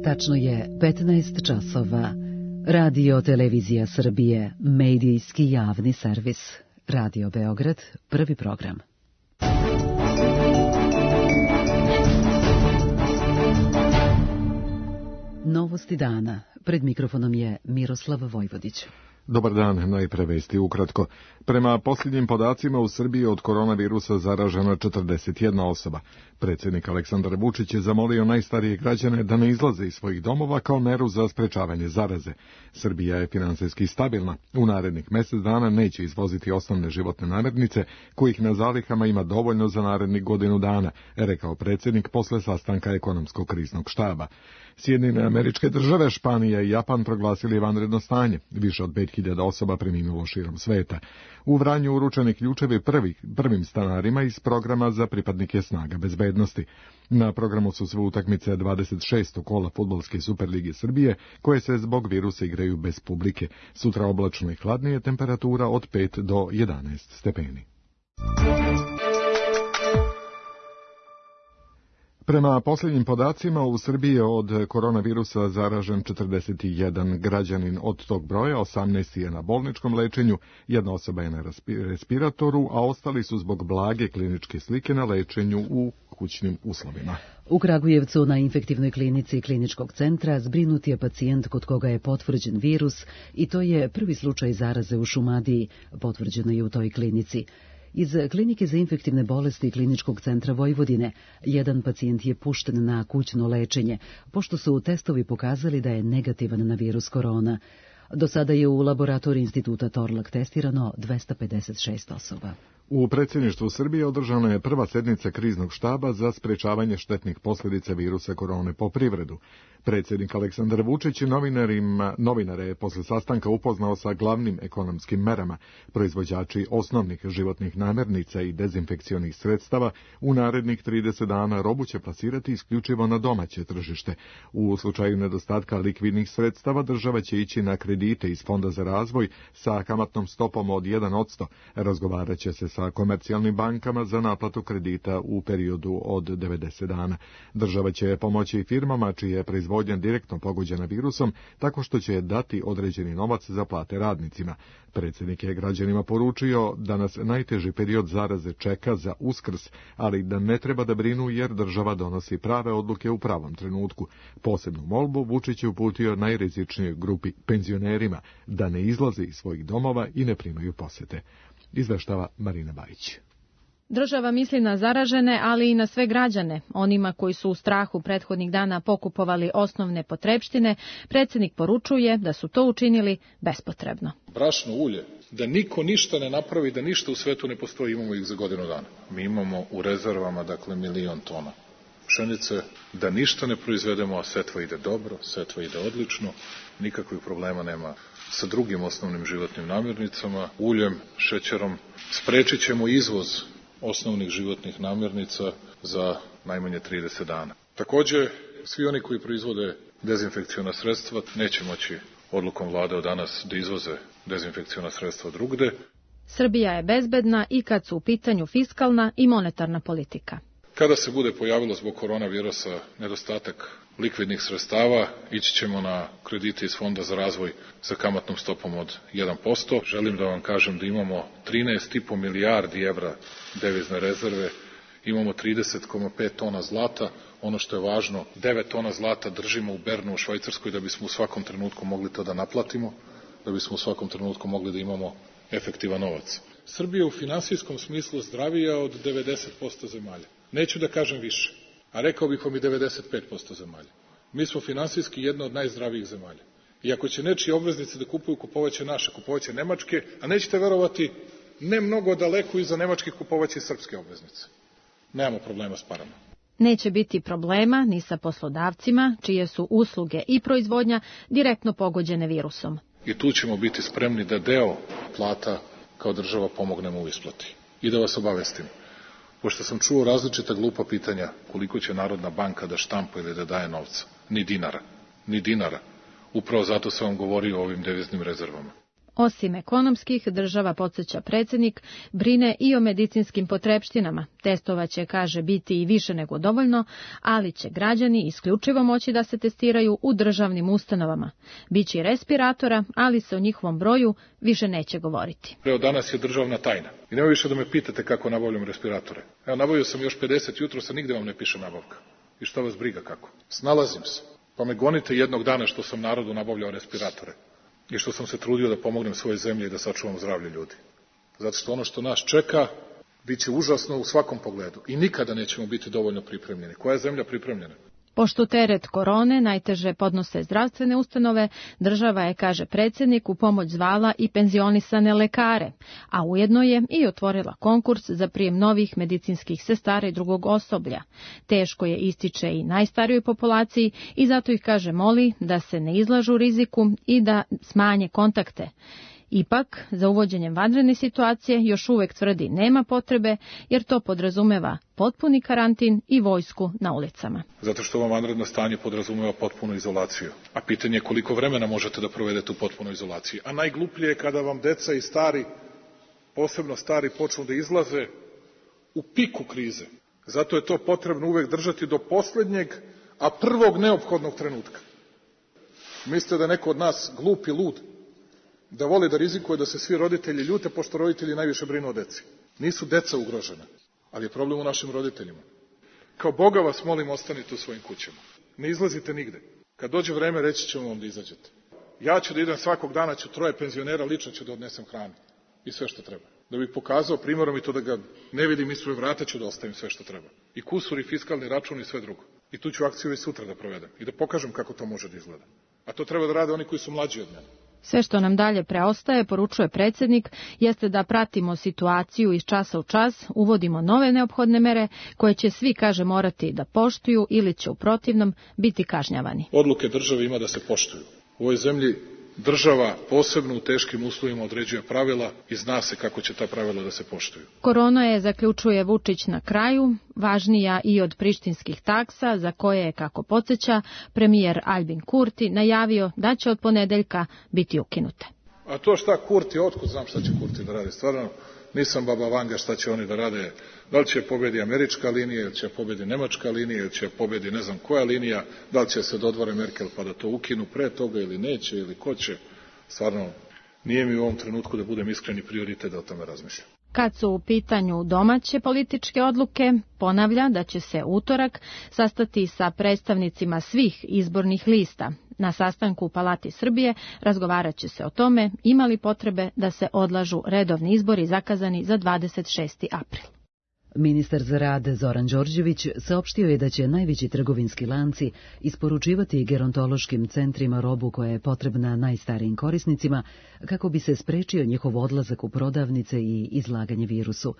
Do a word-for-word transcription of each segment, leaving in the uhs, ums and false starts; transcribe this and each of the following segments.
Tačno je petnaest časova. Radio Televizija Srbije, medijski javni servis. Radio Beograd, prvi program. Novosti dana. Pred mikrofonom je Miroslav Vojvodić. Dobar dan, najpre vesti ukratko. Prema posljednjim podacima u Srbiji od koronavirusa zaražena četrdeset jedna osoba. Predsjednik Aleksandar Vučić je zamolio najstarije građane da ne izlaze iz svojih domova kao meru za sprečavanje zaraze. Srbija je finansijski stabilna. U narednih mjesec dana neće izvoziti osnovne životne namirnice, kojih na zalihama ima dovoljno za narednih godinu dana, rekao predsjednik posle sastanka ekonomskog kriznog štaba. Sjedinjene Američke Države, Španija i Japan proglasili vanredno stanje. Više od pet hiljada osoba preminulo širom sveta. U Vranju uručeni ključevi prvi, prvim stanarima iz programa za pripadnike snaga bezbednosti. Na programu su sve utakmice dvadeset šestog kola Fudbalske Superlige Srbije, koje se zbog virusa igraju bez publike. Sutra oblačno i hladnije, temperatura od pet do jedanaest stepeni. Prema posljednjim podacima, u Srbiji je od koronavirusa zaražen četrdeset jedan građanin. Od tog broja osamnaest je na bolničkom lečenju, jedna osoba je na respiratoru, a ostali su zbog blage kliničke slike na lečenju u kućnim uslovima. U Kragujevcu na infektivnoj klinici kliničkog centra zbrinut je pacijent kod koga je potvrđen virus i to je prvi slučaj zaraze u Šumadiji, potvrđeno je u toj klinici. Iz klinike za infektivne bolesti kliničkog centra Vojvodine jedan pacijent je pušten na kućno lečenje, pošto su testovi pokazali da je negativan na virus korona. Do sada je u laboratoriji instituta Torlak testirano dvesta pedeset šest osoba. U predsjedništvu Srbije održana je prva sednica kriznog štaba za sprečavanje štetnih posljedica virusa korone po privredu. Predsjednik Aleksandar Vučić novinarima, novinare je posle sastanka upoznao sa glavnim ekonomskim merama. Proizvođači osnovnih životnih namirnica i dezinfekcionih sredstava u narednih trideset dana robu će plasirati isključivo na domaće tržište. U slučaju nedostatka likvidnih sredstava država će ići na kredite iz Fonda za razvoj sa kamatnom stopom od jedan posto. Razgovarat će se sa komercijalnim bankama za naplatu kredita u periodu od devedeset dana. Država će pomoći firmama čije je proizvodnja direktno pogođena virusom, tako što će dati određeni novac za plate radnicima. Predsjednik je građanima poručio da nas najteži period zaraze čeka za Uskrs, ali da ne treba da brinu jer država donosi prave odluke u pravom trenutku. Posebnu molbu Vučić je uputio najrizičnijoj grupi, penzionerima, da ne izlaze iz svojih domova i ne primaju posete. Izveštava Marina Bajić. Država misli na zaražene, ali i na sve građane. Onima koji su u strahu prethodnih dana pokupovali osnovne potrepštine, predsjednik poručuje da su to učinili bespotrebno. Brašno, ulje, da niko ništa ne napravi, da ništa u svetu ne postoji, imamo ih za godinu dana. Mi imamo u rezervama, dakle, milion tona pšenice, da ništa ne proizvedemo, a setva ide dobro, setva ide odlično, nikakvih problema nema sa drugim osnovnim životnim namirnicama, uljem, šećerom. Sprečit ćemo izvoz osnovnih životnih namirnica za najmanje trideset dana. Također, svi oni koji proizvode dezinfekciona sredstva neće moći odlukom vlade od danas da izvoze dezinfekciona sredstva drugde. Srbija je bezbedna i kad su u pitanju fiskalna i monetarna politika. Kada se bude pojavilo zbog koronavirusa nedostatak likvidnih sredstava, ići ćemo na kredite iz Fonda za razvoj sa kamatnom stopom od jedan posto. Želim da vam kažem da imamo trinaest zarez pet milijardi evra devizne rezerve, imamo trideset zarez pet tona zlata, ono što je važno, devet tona zlata držimo u Bernu u Švajcarskoj da bismo u svakom trenutku mogli to da naplatimo, da bismo u svakom trenutku mogli da imamo efektivan novac. Srbija je u finansijskom smislu zdravija od devedeset posto zemalja. Neću da kažem više, a rekao bih vam i devedeset pet posto zemalja. Mi smo finansijski jedna od najzdravijih zemalja. I ako će nečije obveznice da kupuju, kupovaće naše, kupovaće nemačke, a nećete verovati, ne mnogo daleko iza nemačkih kupovaće srpske obveznice. Nemamo problema s parama. Neće biti problema ni sa poslodavcima, čije su usluge i proizvodnja direktno pogođene virusom. I tu ćemo biti spremni da deo plata kao država pomognemo u isplati. I da vas obavestim, pošto sam čuo različita glupa pitanja koliko će Narodna banka da štampa ili da daje novca. Ni dinara. Ni dinara. Upravo zato sam vam govorio o ovim deviznim rezervama. Osim ekonomskih, država, podsjeća predsjednik, brine i o medicinskim potrepštinama. Testova će, kaže, biti i više nego dovoljno, ali će građani isključivo moći da se testiraju u državnim ustanovama. Biće i respiratora, ali se o njihovom broju više neće govoriti. Evo, danas je državna tajna. I nema više da me pitate kako nabavljam respiratore. Evo, nabavio sam još pedeset jutro, sa nigde vam ne piše nabavka. I šta vas briga kako? Snalazim se. Pa me gonite jednog dana što sam narodu nabavljao respiratore. I što sam se trudio da pomognem svojoj zemlji i da sačuvam zdravlje ljudi. Zato što ono što nas čeka bit će užasno u svakom pogledu. I nikada nećemo biti dovoljno pripremljeni. Koja je zemlja pripremljena? Pošto teret korone najteže podnose zdravstvene ustanove, država je, kaže predsjednik, u pomoć zvala i penzionisane lekare, a ujedno je i otvorila konkurs za prijem novih medicinskih sestara i drugog osoblja. Teško je, ističe, i najstarijoj populaciji i zato ih, kaže, moli da se ne izlažu riziku i da smanje kontakte. Ipak, za uvođenjem vanredne situacije još uvek tvrdi nema potrebe, jer to podrazumeva potpuni karantin i vojsku na ulicama. Zato što ovo vanredno stanje podrazumeva potpunu izolaciju. A pitanje je koliko vremena možete da provedete u potpunoj izolaciji. A najgluplje je kada vam deca i stari, posebno stari, počnu da izlaze u piku krize. Zato je to potrebno uvek držati do poslednjeg, a prvog neophodnog trenutka. Mislite da je neko od nas glup i lud? Da voli da rizikuje da se svi roditelji ljute, pošto roditelji najviše brinu o deci. Nisu deca ugrožena, ali je problem u našim roditeljima. Kao Boga vas molim, ostanite u svojim kućama. Ne izlazite nigde. Kad dođe vreme, reći ćemo vam da izađete. Ja ću da idem svakog dana, ću troje penzionera, lično ću da odnesem hranu. I sve što treba. Da bih pokazao primjerom i to da ga ne vidim ispred vrata, ću da ostavim sve što treba. I kusur, i fiskalni račun, i sve drugo. I tu ću akciju već sutra da provedem. I da pokažem kako to može da izgleda. A to treba da rade oni koji su mlađi od mene. Sve što nam dalje preostaje, poručuje predsjednik, jeste da pratimo situaciju iz časa u čas, uvodimo nove neophodne mere koje će svi, kaže, morati da poštuju ili će u protivnom biti kažnjavani. Odluke države ima da se poštuju. U ovoj zemlji država posebno u teškim uslovima određuje pravila i zna se kako će ta pravila da se poštuju. Korona je, zaključuje Vučić na kraju, važnija i od prištinskih taksa, za koje je, kako podsjeća, premijer Albin Kurti najavio da će od ponedeljka biti ukinute. A to šta Kurti, otkud znam šta će Kurti da radi? Stvarno, nisam baba Vanga šta će oni da rade. Da li će pobedi američka linija, ili će pobedi nemačka linija, ili će pobedi ne znam koja linija, da li će se dodvore Merkel pa da to ukinu pre toga ili neće, ili ko će. Stvarno, nije mi u ovom trenutku, da budem iskreni, prioritet da o tome razmišljam. Kad su u pitanju domaće političke odluke, ponavlja da će se utorak sastati sa predstavnicima svih izbornih lista. Na sastanku u Palati Srbije razgovarat će se o tome ima li potrebe da se odlažu redovni izbori zakazani za dvadeset šesti april. Ministar za rad Zoran Đorđević saopštio je da će najveći trgovinski lanci isporučivati gerontološkim centrima robu koja je potrebna najstarijim korisnicima kako bi se sprečio njihov odlazak u prodavnice i izlaganje virusu.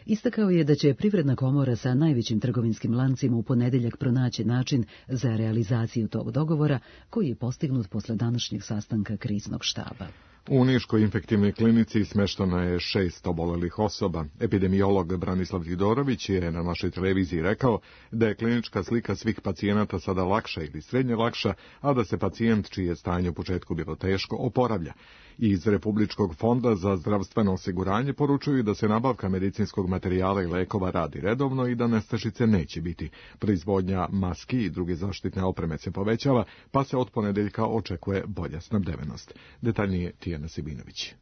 Istakao je da će Privredna komora sa najvećim trgovinskim lancima u ponedeljak pronaći način za realizaciju tog dogovora koji je postignut posle današnjeg sastanka kriznog štaba. U Niškoj infektivnoj klinici smeštano je šest obolelih osoba. Epidemiolog Branislav Tidorović je na našoj televiziji rekao da je klinička slika svih pacijenata sada lakša ili srednje lakša, a da se pacijent, čije je stanje u početku bilo teško, oporavlja. Iz Republičkog fonda za zdravstveno osiguranje poručuju da se nabavka medicinskog materijala i lekova radi redovno i da nestašice neće biti. Proizvodnja maski i druge zaštitne opreme se povećava, pa se od ponedeljka očekuje bolja snabdevenost. Detaljnije Tijana Sibinović.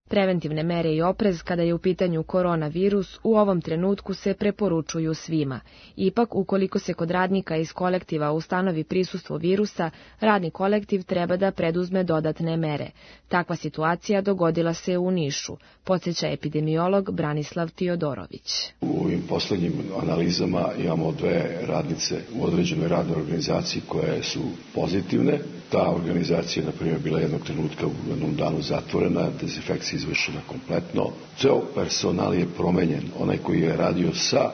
Preventivne mere i oprez kada je u pitanju koronavirus u ovom trenutku se preporučuju svima. Ipak, ukoliko se kod radnika iz kolektiva ustanovi prisustvo virusa, radni kolektiv treba da preduzme dodatne mere. Takva situacija dogodila se u Nišu, podsjeća epidemiolog Branislav Tiodorović. U ovim poslednjim analizama imamo dve radnice u određenoj radnoj organizaciji koje su pozitivne. Ta organizacija je, na primjer, bila jednog trenutka u jednom danu zatvorena, dezinfekcija izvršena kompletno. Ceo personal je promenjen. Onaj koji je radio sa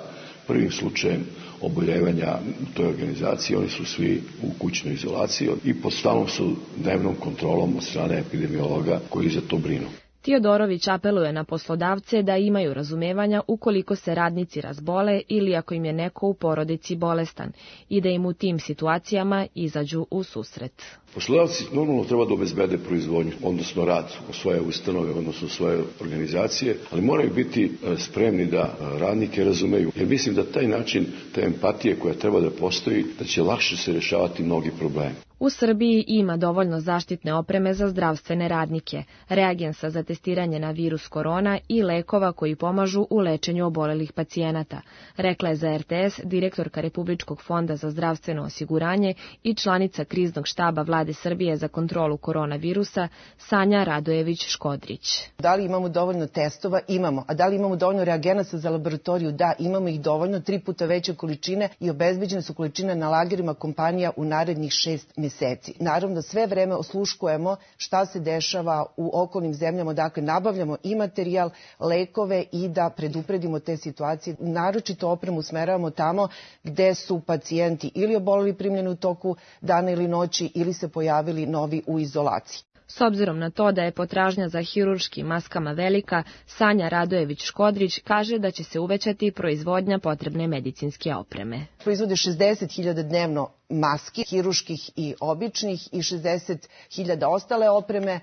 prvim slučajem oboljevanja u toj organizaciji, oni su svi u kućnoj izolaciji i pod stalnom su dnevnom kontrolom od strane epidemiologa koji za to brinu. Tiodorović apeluje na poslodavce da imaju razumevanja ukoliko se radnici razbole ili ako im je neko u porodici bolestan i da im u tim situacijama izađu u susret. Poslodavci normalno treba da obezbede proizvodnju, odnosno rad u svoje ustanove, odnosno u svoje organizacije, ali moraju biti spremni da radnike razumeju. Jer mislim da taj način, te empatije koja treba da postoji, da će lakše se rješavati mnogi problemi. U Srbiji ima dovoljno zaštitne opreme za zdravstvene radnike, reagensa za testiranje na virus korona i lekova koji pomažu u lečenju obolelih pacijenata, rekla je za er te es direktorka Republičkog fonda za zdravstveno osiguranje i članica kriznog štaba Vlade Srbije za kontrolu koronavirusa Sanja Radojević-Škodrić. Da li imamo dovoljno testova? Imamo. A da li imamo dovoljno reagenasa za laboratoriju? Da, imamo ih dovoljno, tri puta veće količine i obezbeđene su količine na lagerima kompanija u narednih šest mjeseci. Mjeseci. Naravno, sve vreme osluškujemo šta se dešava u okolnim zemljama, dakle nabavljamo i materijal, lekove i da predupredimo te situacije. Naročito opremu usmeravamo tamo gde su pacijenti ili oboleli primljeni u toku dana ili noći ili se pojavili novi u izolaciji. S obzirom na to da je potražnja za hirurškim maskama velika, Sanja Radojević-Škodrić kaže da će se uvećati proizvodnja potrebne medicinske opreme. Proizvode šezdeset hiljada dnevno maski, hirurških i običnih, i šezdeset hiljada ostale opreme.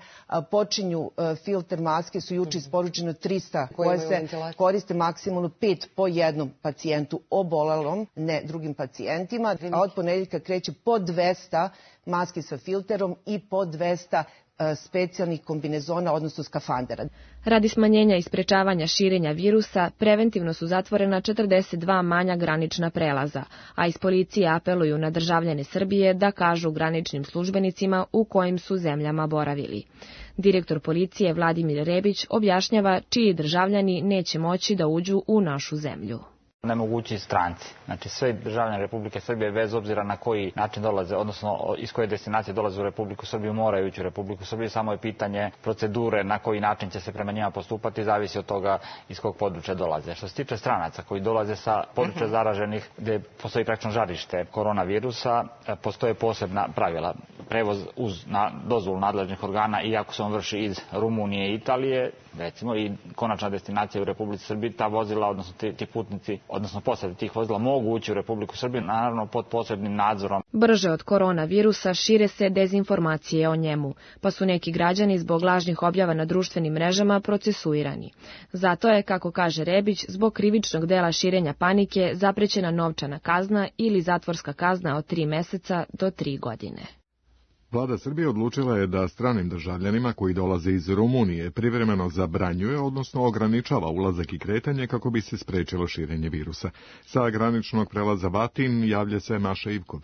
Počinju filter maske, su juče isporučeno trista koje se koriste maksimalno pet po jednom pacijentu obolelom, ne drugim pacijentima. A od ponedeljka kreće po dvesta maski sa filterom i po dvesta specijalnih kombinezona, odnosno skafandera. Radi smanjenja i sprečavanja širenja virusa, preventivno su zatvorena četrdeset dva manja granična prelaza, a iz policije apeluju na državljane Srbije da kažu graničnim službenicima u kojim su zemljama boravili. Direktor policije Vladimir Rebić objašnjava čiji državljani neće moći da uđu u našu zemlju. Nemogući stranci. Znači sve državljani Republike Srbije bez obzira na koji način dolaze, odnosno iz koje destinacije dolaze u Republiku Srbiju, moraju ući u Republiku Srbiju. Samo je pitanje procedure na koji način će se prema njima postupati, zavisi od toga iz kog područja dolaze. Što se tiče stranaca koji dolaze sa područja zaraženih gde postoji praktično žarište koronavirusa, postoje posebna pravila. Prevoz uz na dozvolu nadležnih organa, iako se on vrši iz Rumunije i Italije, recimo, i konačna destinacija u Republici Srbiji, ta vozila, odnosno ti, ti putnici, odnosno posade tih vozila mogu ući u Republiku Srbiju, naravno pod posebnim nadzorom. Brže od koronavirusa šire se dezinformacije o njemu, pa su neki građani zbog lažnih objava na društvenim mrežama procesuirani. Zato je, kako kaže Rebić, zbog krivičnog dela širenja panike zaprećena novčana kazna ili zatvorska kazna od tri meseca do tri godine. Vlada Srbije odlučila je da stranim državljanima koji dolaze iz Rumunije privremeno zabranjuje, odnosno ograničava ulazak i kretanje kako bi se sprečilo širenje virusa. Sa graničnog prelaza Vatin javlja se Maša Ivkov.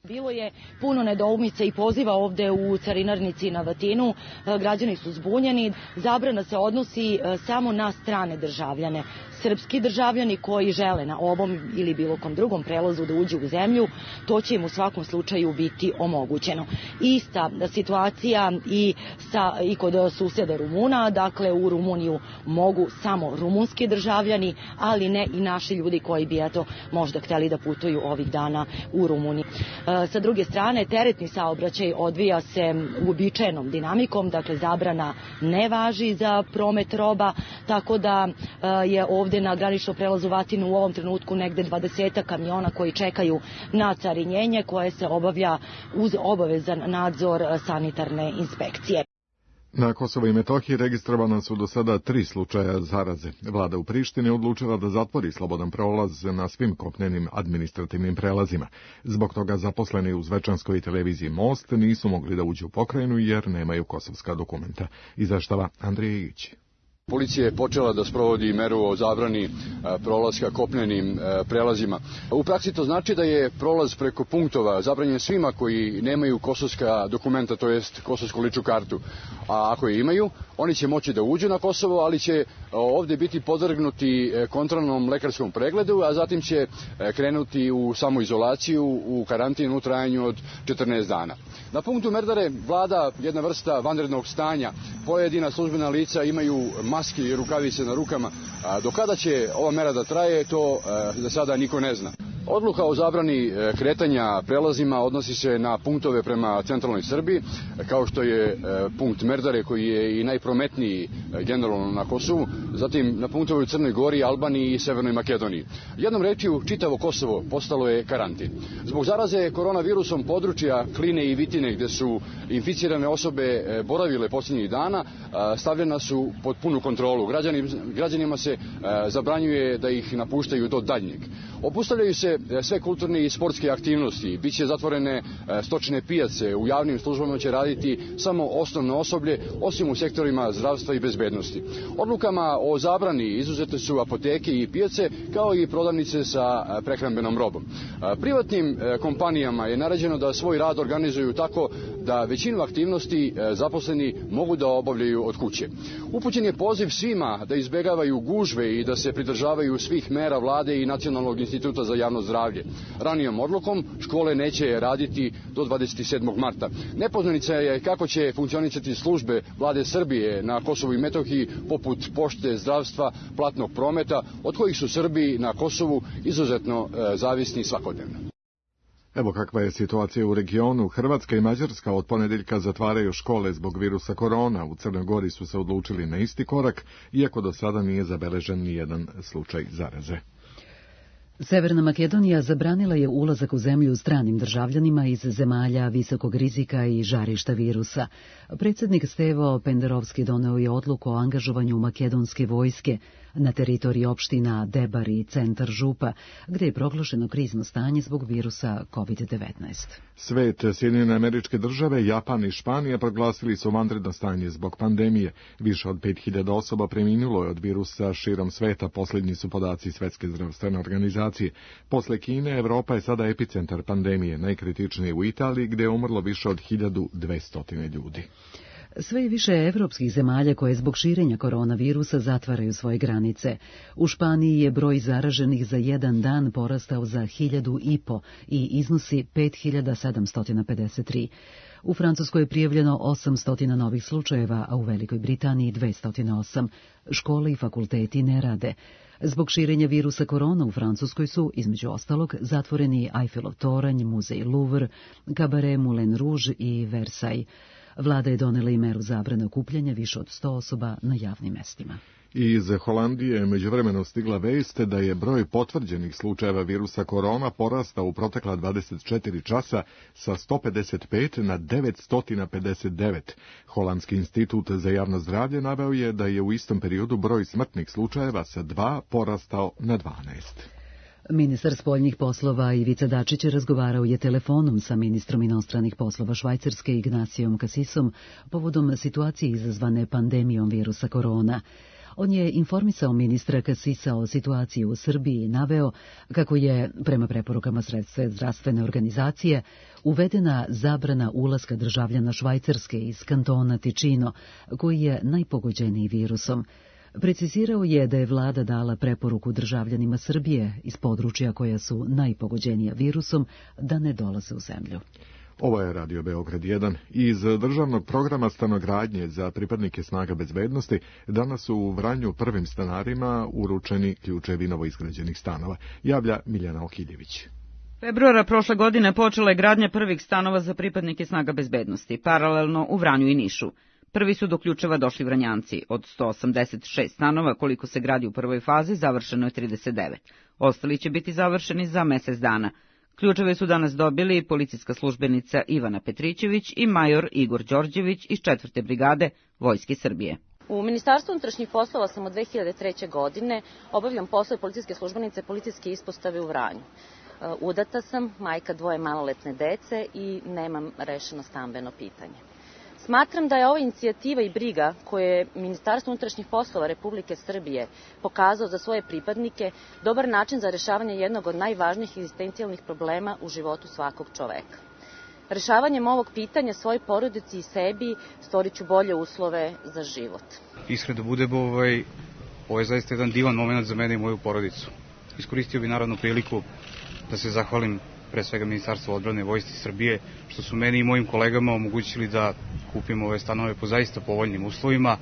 Bilo je puno nedoumica i poziva ovde u carinarnici na Vatinu. Građani su zbunjeni. Zabrana se odnosi samo na strane državljane. Srpski državljani koji žele na ovom ili bilo kom drugom prelazu da uđu u zemlju, to će im u svakom slučaju biti omogućeno. Ista situacija i, sa, i kod susjeda Rumuna, dakle u Rumuniju mogu samo rumunski državljani, ali ne i naši ljudi koji bi eto možda hteli da putuju ovih dana u Rumuniji. Sa druge strane, teretni saobraćaj odvija se uobičajenom dinamikom, dakle zabrana ne važi za promet roba, tako da je ovde na graničnom prelazu Vatinu u ovom trenutku negde dvadesetak kamiona koji čekaju na carinjenje koje se obavlja uz obavezan nadzor sanitarne inspekcije. Na Kosovo i Metohiji registrovana su do sada tri slučaja zaraze. Vlada u Prištini odlučila da zatvori slobodan prolaz na svim kopnenim administrativnim prelazima. Zbog toga zaposleni u zvečanskoj televiziji Most nisu mogli da uđu u pokrajinu jer nemaju kosovska dokumenta. Izveštava Andrija Igić. Policija je počela da sprovodi meru o zabrani prolaska kopnenim prelazima. U praksi to znači da je prolaz preko punktova zabranjen svima koji nemaju kosovska dokumenta, to jest kosovsku ličnu kartu. A ako je imaju, oni će moći da uđu na Kosovo, ali će ovde biti podvrgnuti kontrolnom lekarskom pregledu, a zatim će krenuti u samoizolaciju, u karantin u trajanju od četrnaest dana. Na punktu Merdare vlada jedna vrsta vanrednog stanja. Pojedina službena lica imaju maske i rukavice na rukama. Do kada će ova mera da traje, to za sada niko ne zna. Odluka o zabrani kretanja prelazima odnosi se na punktove prema centralnoj Srbiji, kao što je punkt Merdare koji je i najprometniji generalno na Kosovu, zatim na punktove u Crnoj Gori, Albaniji i Severnoj Makedoniji. Jednom rečju, čitavo Kosovo postalo je karantin. Zbog zaraze koronavirusom područja Kline i Vitine, gde su inficirane osobe boravile posljednjih dana, stavljena su pod punu kontrolu. Građani, građanima se zabranjuje da ih napuštaju do daljnjeg. Obustavljaju se sve kulturne i sportske aktivnosti, biće zatvorene stočne pijace, u javnim službama će raditi samo osnovno osoblje, osim u sektorima zdravstva i bezbednosti. Odlukama o zabrani izuzete su apoteke i pijace, kao i prodavnice sa prehrambenom robom. Privatnim kompanijama je naređeno da svoj rad organizuju tako da većinu aktivnosti zaposleni mogu da obavljaju od kuće. Upućen je poziv svima da izbegavaju gužve i da se pridržavaju svih mera vlade i Nacionalnog instituta za javno zdravlje. Ranijom odlukom škole neće raditi do dvadeset sedmog marta. Nepoznanica je kako će funkcionisati službe vlade Srbije na Kosovu i Metohiji, poput pošte, zdravstva, platnog prometa, od kojih su Srbi na Kosovu izuzetno e, zavisni svakodnevno. Evo kakva je situacija u regionu. Hrvatska i Mađarska od ponedeljka zatvaraju škole zbog virusa korona. U Crnoj Gori su se odlučili na isti korak, iako do sada nije zabeležen ni jedan slučaj zaraze. Severna Makedonija zabranila je ulazak u zemlju stranim državljanima iz zemalja visokog rizika i žarišta virusa. Predsjednik Stevo Penderovski doneo je odluku o angažovanju makedonske vojske na teritoriji opština Debar i centar Župa, gdje je proglašeno krizno stanje zbog virusa kovid devetnaest. Svet, Sjedinjene Američke Države, Japan i Španija proglasili su vanredno stanje zbog pandemije. Više od pet hiljada osoba preminulo je od virusa širom sveta, posljednji su podaci Svetske zdravstvene organizacije. Posle Kine, Evropa je sada epicentar pandemije, najkritičnije u Italiji, gdje je umrlo više od hiljadu dvesta ljudi. Sve je više evropskih zemalja koje zbog širenja koronavirusa zatvaraju svoje granice. U Španiji je broj zaraženih za jedan dan porastao za hiljadu i po i iznosi pet hiljada sedamsto pedeset tri. U Francuskoj je prijavljeno osamsto novih slučajeva, a u Velikoj Britaniji dvesta osam. Škole i fakulteti ne rade. Zbog širenja virusa korona u Francuskoj su, između ostalog, zatvoreni Eiffelov toranj, muzej Louvre, kabare Moulin Rouge i Versailles. Vlada je donela i meru zabrane okupljanja više od sto osoba na javnim mestima. Iz Holandije je međuvremeno stigla vest da je broj potvrđenih slučajeva virusa korona porastao u protekla dvadeset četiri časa sa sto pedeset pet na devetsto pedeset devet. Holandski institut za javno zdravlje naveo je da je u istom periodu broj smrtnih slučajeva sa dva porastao na dvanaest. Ministar spoljnih poslova Ivica Dačić razgovarao je telefonom sa ministrom inostranih poslova Švajcarske Ignacijom Kasisom povodom situacije izazvane pandemijom virusa korona. On je informisao ministra Kasisa o situaciji u Srbiji i naveo kako je, prema preporukama Svetske zdravstvene organizacije, uvedena zabrana ulaska državljana Švajcarske iz kantona Ticino, koji je najpogođeniji virusom. Precizirao je da je vlada dala preporuku državljanima Srbije iz područja koja su najpogođenija virusom da ne dolaze u zemlju. Ovo je Radio Beograd jedan. Iz državnog programa stanogradnje za pripadnike snaga bezbednosti danas su u Vranju prvim stanarima uručeni ključevi novoizgrađenih stanova. Javlja Miljana Okiljević. Februara prošle godine počela je gradnja prvih stanova za pripadnike snaga bezbednosti, paralelno u Vranju i Nišu. Prvi su do ključeva došli Vranjanci. Od sto osamdeset šest stanova koliko se gradi u prvoj fazi, završeno je trideset devet. Ostali će biti završeni za mesec dana. Ključeve su danas dobili policijska službenica Ivana Petrićević i major Igor Đorđević iz četvrte brigade Vojske Srbije. U Ministarstvu unutrašnjih poslova sam od dve hiljade treće. godine, obavljam poslove policijske službenice policijske ispostave u Vranju. Udata sam, majka dvoje maloletne dece i nemam rešeno stambeno pitanje. Smatram da je ova inicijativa i briga koje je Ministarstvo unutrašnjih poslova Republike Srbije pokazao za svoje pripadnike dobar način za rešavanje jednog od najvažnijih egzistencijalnih problema u životu svakog čoveka. Rešavanjem ovog pitanja svojoj porodici i sebi stvoriću bolje uslove za život. Iskreno da budem, ovaj, ovo je zaista jedan divan moment za mene i moju porodicu. Iskoristio bi naravno priliku da se zahvalim pre svega Ministarstvu odbrane Vojske Srbije, što su meni i mojim kolegama omogućili da kupimo ove stanove po zaista povoljnim uslovima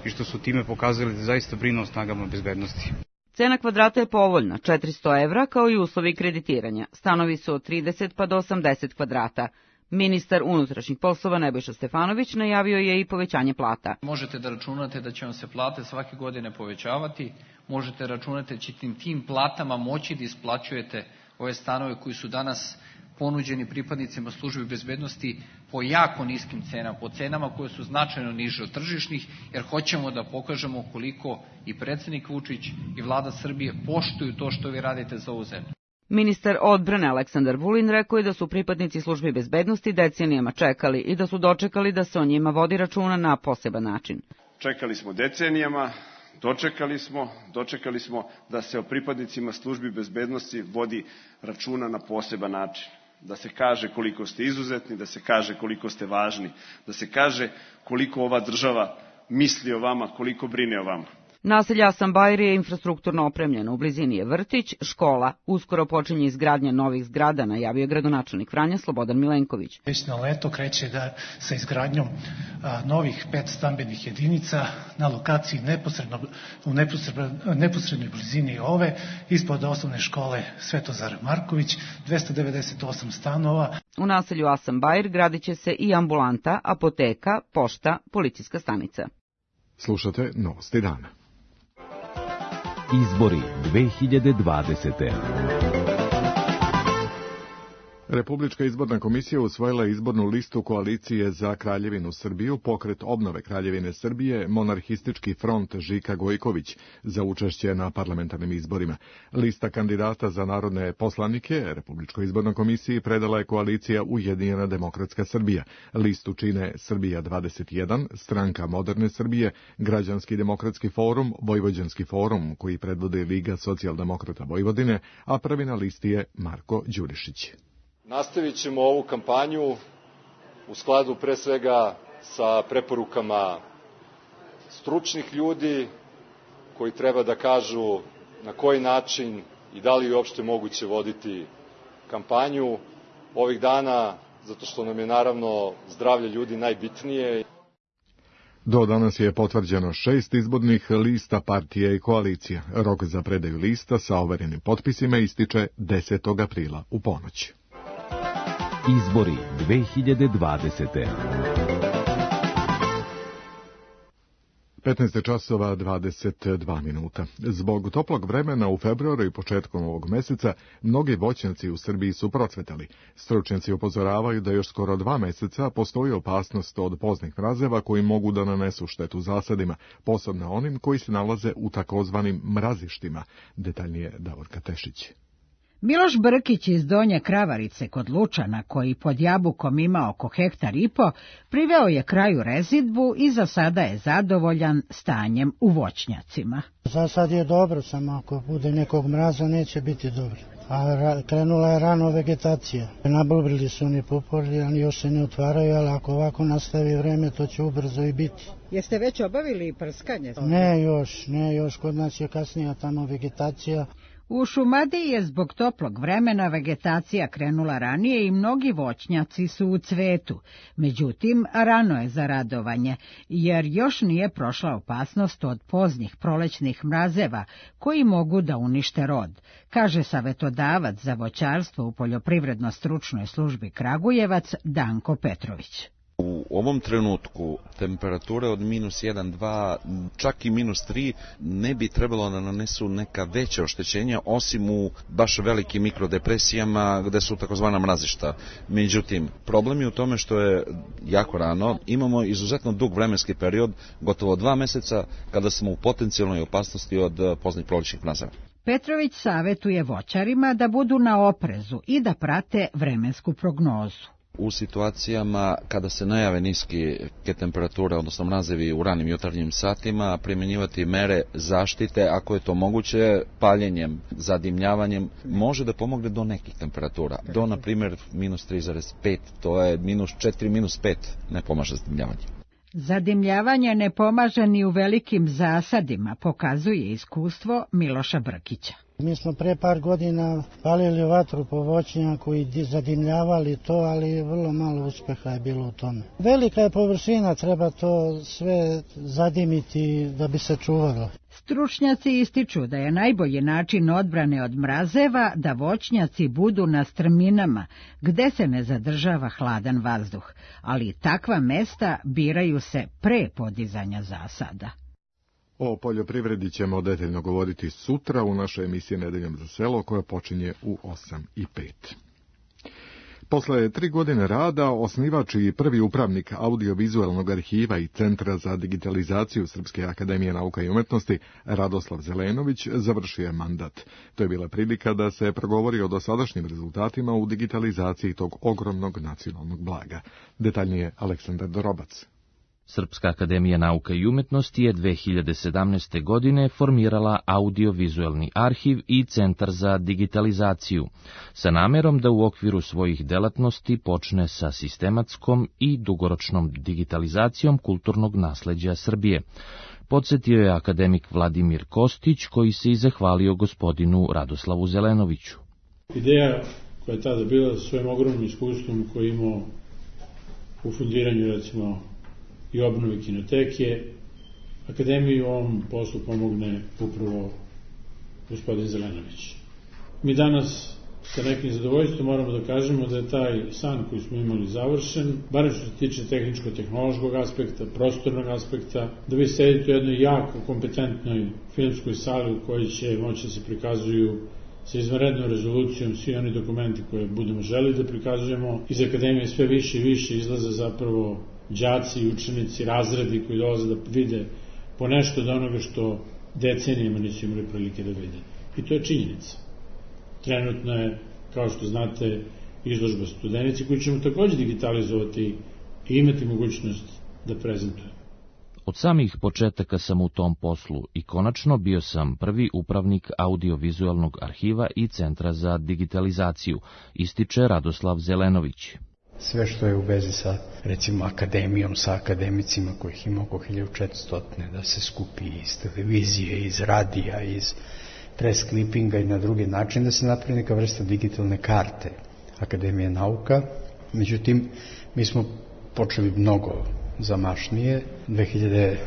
i što su time pokazali da zaista brinu o snagama bezbednosti. Cena kvadrata je povoljna, četiristo evra, kao i uslovi kreditiranja. Stanovi su od trideset pa do osamdeset kvadrata. Ministar unutrašnjih poslova Nebojša Stefanović najavio je i povećanje plata. Možete da računate da će vam se plate svake godine povećavati, možete računati da ćete tim platama moći da isplaćujete ove stanove koji su danas ponuđeni pripadnicima službi bezbednosti po jako niskim cenama, po cenama koje su značajno niže od tržišnih, jer hoćemo da pokažemo koliko i predsednik Vučić i vlada Srbije poštuju to što vi radite za ovu zemlju. Ministar odbrane Aleksandar Vulin rekao je da su pripadnici službi bezbednosti decenijama čekali i da su dočekali da se o njima vodi računa na poseban način. Čekali smo decenijama, dočekali smo, dočekali smo da se o pripadnicima službi bezbednosti vodi računa na poseban način. Da se kaže koliko ste izuzetni, da se kaže koliko ste važni, da se kaže koliko ova država misli o vama, koliko brine o vama. Naselje Asanbajr je infrastrukturno opremljeno, u blizini je vrtić, škola, uskoro počinje izgradnja novih zgrada, najavio gradonačelnik Vranja Slobodan Milenković. Već na leto kreće da sa izgradnjom a, novih pet stambenih jedinica na lokaciji neposredno, u neposredno, neposrednoj blizini ove, ispod osnovne škole Svetozar Marković, dvesta devedeset osam stanova. U naselju Asanbajr gradit će se i ambulanta, apoteka, pošta, policijska stanica. Slušate Novosti dana. Izbori dve hiljade dvadesete. Republička izborna komisija usvojila izbornu listu koalicije za Kraljevinu Srbiju, pokret obnove Kraljevine Srbije, monarhistički front Žika Gojković za učešće na parlamentarnim izborima. Lista kandidata za narodne poslanike Republičkoj izbornoj komisiji predala je koalicija Ujedinjena demokratska Srbija. Listu čine Srbija dvadeset jedan, Stranka moderne Srbije, Građanski demokratski forum, Vojvođanski forum, koji predvodi Liga socijaldemokrata Vojvodine, a prvi na listi je Marko Đurišić. Nastavit ćemo ovu kampanju u skladu pre svega sa preporukama stručnih ljudi koji treba da kažu na koji način i da li je uopšte moguće voditi kampanju ovih dana, zato što nam je naravno zdravlje ljudi najbitnije. Do danas je potvrđeno šest izbornih lista partije i koalicija. Rok za predaju lista sa overenim potpisima ističe desetog aprila u ponoć. Izbori dve hiljade dvadesete. petnaest časova dvadeset dva minuta. Zbog toplog vremena u februaru i početkom ovog meseca mnogi voćnjaci u Srbiji su procvetali. Stručnjaci upozoravaju da još skoro dva meseca postoji opasnost od poznih mrazeva koji mogu da nanesu štetu zasadima, posebno onim koji se nalaze u takozvanim mrazištima. Detaljnije Davorka Tešić. Miloš Brkić iz Donje Kravarice kod Lučana, koji pod Jabukom ima oko hektar i po, priveo je kraju rezidbu i za sada je zadovoljan stanjem u voćnjacima. Za sad je dobro, samo ako bude nekog mraza neće biti dobro. A ra, krenula je rano vegetacija. Nabulbrili su oni pupori, ali još se ne otvaraju, ali ako ovako nastavi vreme, to će ubrzo i biti. Jeste već obavili prskanje? Ne još, ne još, kod nas je kasnija tamo vegetacija. U Šumadiji je zbog toplog vremena vegetacija krenula ranije i mnogi voćnjaci su u cvetu. Međutim, rano je za radovanje, jer još nije prošla opasnost od poznih prolećnih mrazeva koji mogu da unište rod, kaže savetodavac za voćarstvo u Poljoprivredno-stručnoj službi Kragujevac Danko Petrović. U ovom trenutku temperature od minus jedan, dva, čak i minus tri ne bi trebalo da nanesu neka veća oštećenja, osim u baš velikim mikrodepresijama gde su takozvana mrazišta. Međutim, problem je u tome što je jako rano, imamo izuzetno dug vremenski period, gotovo dva meseca, kada smo u potencijalnoj opasnosti od poznih prolećnih mrazeva. Petrović savetuje voćarima da budu na oprezu i da prate vremensku prognozu. U situacijama kada se najave niske temperature, odnosno mrazevi u ranim jutarnjim satima, primjenjivati mere zaštite, ako je to moguće, paljenjem, zadimljavanjem, može da pomogne do nekih temperatura. Do, na primjer, minus tri zarez pet, to je minus četiri, minus pet, ne pomaže zadimljavanje. Zadimljavanje ne pomaže ni u velikim zasadima, pokazuje iskustvo Miloša Brkića. Mi smo pre par godina palili vatru po voćnjaku i zadimljavali to, ali vrlo malo uspeha je bilo u tome. Velika je površina, treba to sve zadimiti da bi se čuvalo. Stručnjaci ističu da je najbolji način odbrane od mrazeva da voćnjaci budu na strminama, gde se ne zadržava hladan vazduh, ali takva mesta biraju se pre podizanja zasada. O poljoprivredi ćemo detaljno govoriti sutra u našoj emisiji Nedeljom za selo, koja počinje u osam i pet. Posle tri godine rada, osnivač i prvi upravnik audiovizualnog arhiva i Centra za digitalizaciju Srpske akademije nauka i umetnosti, Radoslav Zelenović, završio je mandat. To je bila prilika da se progovori o dosadašnjim rezultatima u digitalizaciji tog ogromnog nacionalnog blaga. Detaljnije Aleksandar Dorobac. Srpska akademija nauka i umetnosti je dve hiljade sedamnaeste. godine formirala audiovizualni arhiv i Centar za digitalizaciju, sa namerom da u okviru svojih delatnosti počne sa sistematskom i dugoročnom digitalizacijom kulturnog nasleđa Srbije. Podsjetio je akademik Vladimir Kostić, koji se i zahvalio gospodinu Radoslavu Zelenoviću. Ideja koja je tada bila svojim ogromnim iskustvom koji imao u fundiranju, recimo, i obnovi kinoteke, akademiji u ovom poslu pomogne upravo gospodin Zelenović. Mi danas sa nekim zadovoljstvom moramo da kažemo da je taj san koji smo imali završen, barem što se tiče tehničko-tehnološkog aspekta, prostornog aspekta, da vi sedite u jednoj jako kompetentnoj filmskoj sali u kojoj će moći da se prikazuju sa izvanrednom rezolucijom svi oni dokumenti koje budemo želi da prikazujemo. Iz akademije sve više i više izlaze zapravo đaci i učenici, razredi koji dolaze da vide po nešto od onoga što decenijama nisu imali prilike da vide. I to je činjenica. Trenutno je, kao što znate, izložba Studenici koju ćemo također digitalizovati i imati mogućnost da prezentujemo. Od samih početaka sam u tom poslu i konačno bio sam prvi upravnik audiovizualnog arhiva i Centra za digitalizaciju, ističe Radoslav Zelenović. Sve što je u vezi sa, recimo, akademijom, sa akademicima kojih ima oko hiljadu četiristo, da se skupi iz televizije, iz radija, iz press klipinga i na drugi način, da se napravi neka vrsta digitalne karte Akademije nauka. Međutim, mi smo počeli mnogo zamašnije. dve hiljade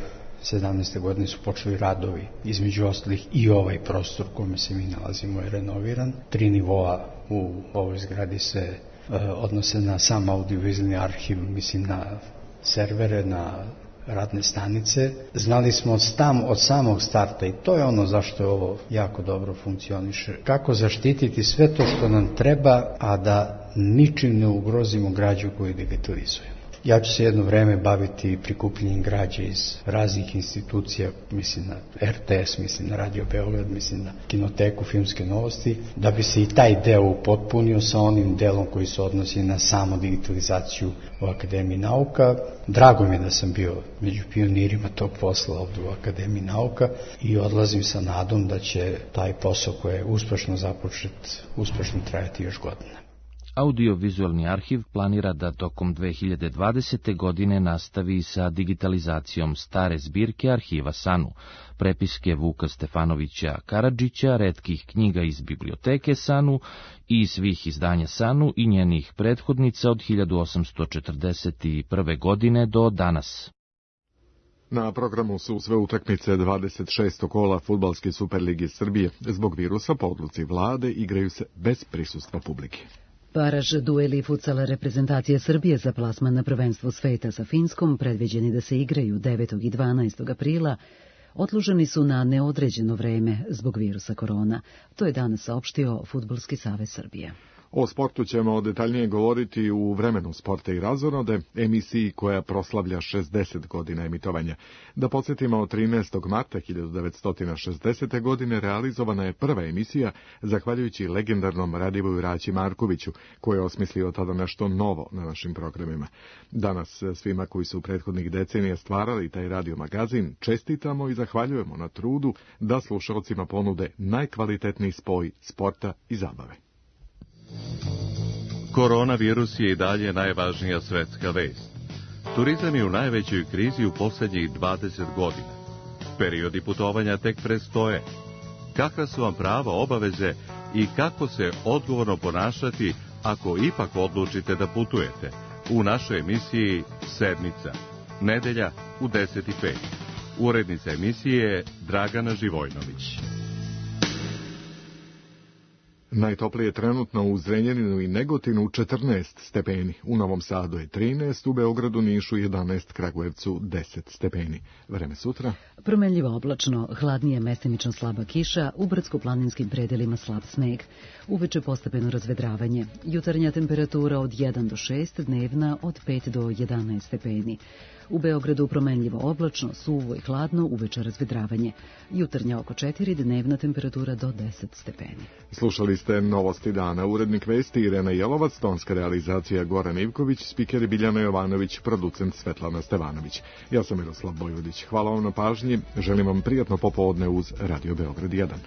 sedamnaeste. godine su počeli radovi, između ostalih i ovaj prostor u kome se mi nalazimo je renoviran. Tri nivoa u ovoj zgradi se odnose na sam audiovizualni arhiv, mislim na servere, na radne stanice. Znali smo tam od samog starta, i to je ono zašto je ovo jako dobro funkcioniše, kako zaštititi sve to što nam treba, a da ničim ne ugrozimo građu koju digitalizujemo. Ja ću se jedno vreme baviti prikupljenjem građe iz raznih institucija, mislim na er te es, mislim na Radio Beograd, mislim na Kinoteku, Filmske novosti, da bi se i taj deo upotpunio sa onim delom koji se odnosi na samo digitalizaciju u Akademiji nauka. Drago mi je da sam bio među pionirima tog posla ovdje u Akademiji nauka i odlazim sa nadom da će taj posao koji je uspešno započet, uspešno trajati još godina. Audiovizualni arhiv planira da tokom dve hiljade dvadesete. godine nastavi sa digitalizacijom stare zbirke arhiva SANU, prepiske Vuka Stefanovića Karadžića, retkih knjiga iz biblioteke SANU i svih izdanja SANU i njenih prethodnica od hiljadu osamsto četrdeset prve. godine do danas. Na programu su sve utakmice dvadeset šestog kola Fudbalske Superlige Srbije. Zbog virusa po odluci vlade igraju se bez prisustva publike. Baraž dueli futsala reprezentacije Srbije za plasman na prvenstvo sveta sa Finskom, predviđeni da se igraju devetog i dvanaestog aprila, odloženi su na neodređeno vreme zbog virusa korona. To je danas saopštio Fudbalski savez Srbije. O sportu ćemo detaljnije govoriti u Vremenu sporta i razonode, emisiji koja proslavlja šezdeset godina emitovanja. Da podsjetimo, trinaestog marta hiljadu devetsto šezdesete. godine realizovana je prva emisija, zahvaljujući legendarnom Radivoju Raći Markoviću, koji je osmislio tada nešto novo na našim programima. Danas svima koji su prethodnih decenija stvarali taj radio magazin čestitamo i zahvaljujemo na trudu da slušalcima ponude najkvalitetniji spoj sporta i zabave. Koronavirus je i dalje najvažnija svetska vest. Turizam je u najvećoj krizi u posljednjih dvadeset godina. Periodi putovanja tek predstoje. Kakva su vam prava, obaveze i kako se odgovorno ponašati ako ipak odlučite da putujete? U našoj emisiji Sedmica, nedelja u deset i pet. Urednica emisije Dragana Živojnović. Najtoplije trenutno u Zrenjaninu i Negotinu četrnaest stepeni, u Novom Sadu je trinaest, u Beogradu, Nišu jedanaest, Kragujevcu deset stepeni. Vreme sutra? Promenljivo oblačno, hladnije mestimično slaba kiša, u brdsko-planinskim predelima slab sneg. Uveče postepeno razvedravanje. Jutarnja temperatura od jedan do šest, dnevna od pet do jedanaest stepeni. U Beogradu promenljivo oblačno, suvo i hladno, uveče razvedravanje. Jutarnja oko četiri, dnevna temperatura do deset stepeni. Slušali ste Novosti dana. Urednik vesti Irena Jelovac, tonska realizacija Goran Ivković, spikeri Biljana Jovanović, producent Svetlana Stevanović. Ja sam Miroslav Bojvodić. Hvala vam na pažnji. Želim vam prijatno popodne uz Radio Beograd jedan.